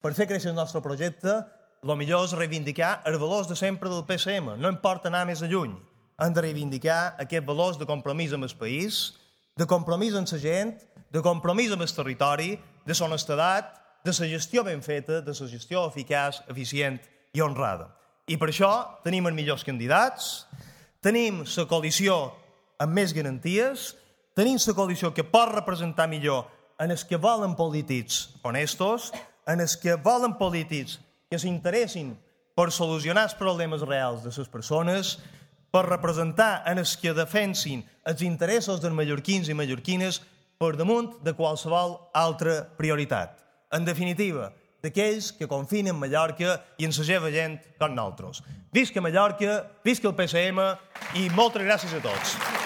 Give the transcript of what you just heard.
per fer créixer el nostre projecte, el millor és reivindicar els valors de sempre del PSM. No importa anar més lluny. Hem de reivindicar aquests valors de compromís amb el país, de compromís amb la gent, de compromís amb el territori, de honestedat, de la gestió ben feta, de la gestió eficaç, eficient i honrada. I per això tenim els millors candidats, tenim la coalició amb més garanties, tenim la coalició que pot representar millor en els que volen polítics honestos, en els que volen polítics que s'interessin per solucionar els problemes reals de les persones, per representar en els que defensin els interessos dels mallorquins i mallorquines per damunt de qualsevol altra prioritat. En definitiva, d'aquells que confien en Mallorca i en la seva gent com nosaltres. Visca Mallorca, visca el PSM i moltes gràcies a tots.